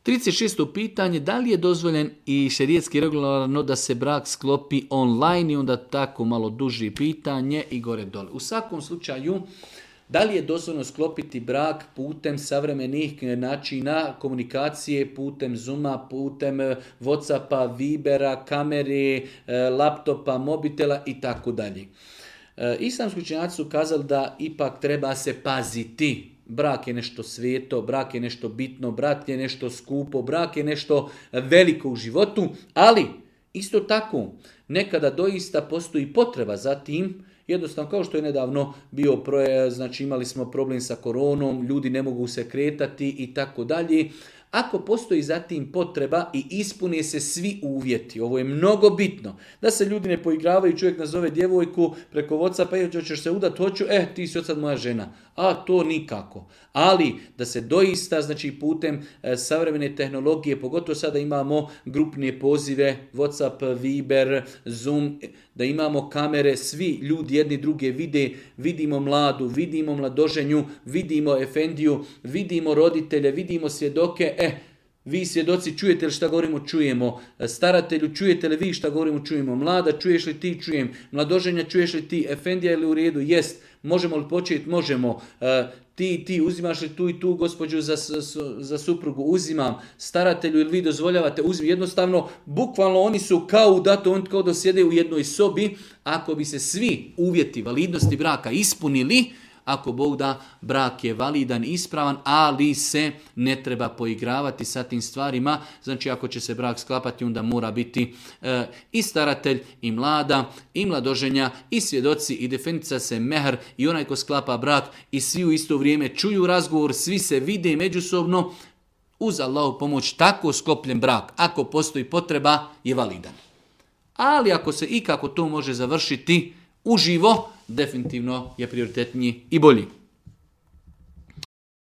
36. pitanje, da li je dozvoljen i šerijetski regularno da se brak sklopi online i onda tako malo duži pitanje i gore dole. U svakom slučaju, da li je dozvoljeno sklopiti brak putem savremenih načina komunikacije, putem Zooma, putem Whatsappa, Vibera, kamere, laptopa, mobitela i tako dalje. Islamski učenjaci su kazali da ipak treba se paziti. Brak je nešto sveto, brak je nešto bitno, brak je nešto skupo, brak je nešto veliko u životu, ali isto tako nekada doista postoji potreba za tim. Jednostavno, kao što je nedavno bio, znači imali smo problem sa koronom, ljudi ne mogu se kretati i tako dalje. Ako postoji zatim potreba i ispune se svi uvjeti, ovo je mnogo bitno, da se ljudi ne poigravaju, čovjek nazove djevojku preko Whatsappa, hoćeš se udati, hoću, ti si od sad moja žena. A to nikako. Ali da se doista, znači putem savremene tehnologije, pogotovo sada imamo grupne pozive, Whatsapp, Viber, Zoom, da imamo kamere, svi ljudi jedni druge vide, vidimo mladu, vidimo mladoženju, vidimo efendiju, vidimo roditelje, vidimo svjedoke, vi svjedoci čujete li šta govorimo, čujemo. Staratelju, čujete li vi šta govorimo, čujemo. Mlada, čuješ li ti, čujem. Mladoženja, čuješ li ti. Efendija ili u redu, jest. Možemo li početi, možemo. Ti uzimaš li tu i tu gospođu za suprugu, uzimam. Staratelju ili vi dozvoljavate, uzim. Jednostavno, bukvalno oni su kao u dato, oni kao da sjede u jednoj sobi. Ako bi se svi uvjeti validnosti braka ispunili, ako Bog da, brak je validan, ispravan, ali se ne treba poigravati sa tim stvarima. Znači, ako će se brak sklapati, onda mora biti i staratelj, i mlada, i mladoženja, i svjedoci, i definicija se mehr, i onaj ko sklapa brak, i svi u isto vrijeme čuju razgovor, svi se vide međusobno. Uz Allahu pomoć, tako sklopljen brak, ako postoji potreba, je validan. Ali ako se ikako to može završiti uživo, definitivno je prioritetniji i bolji.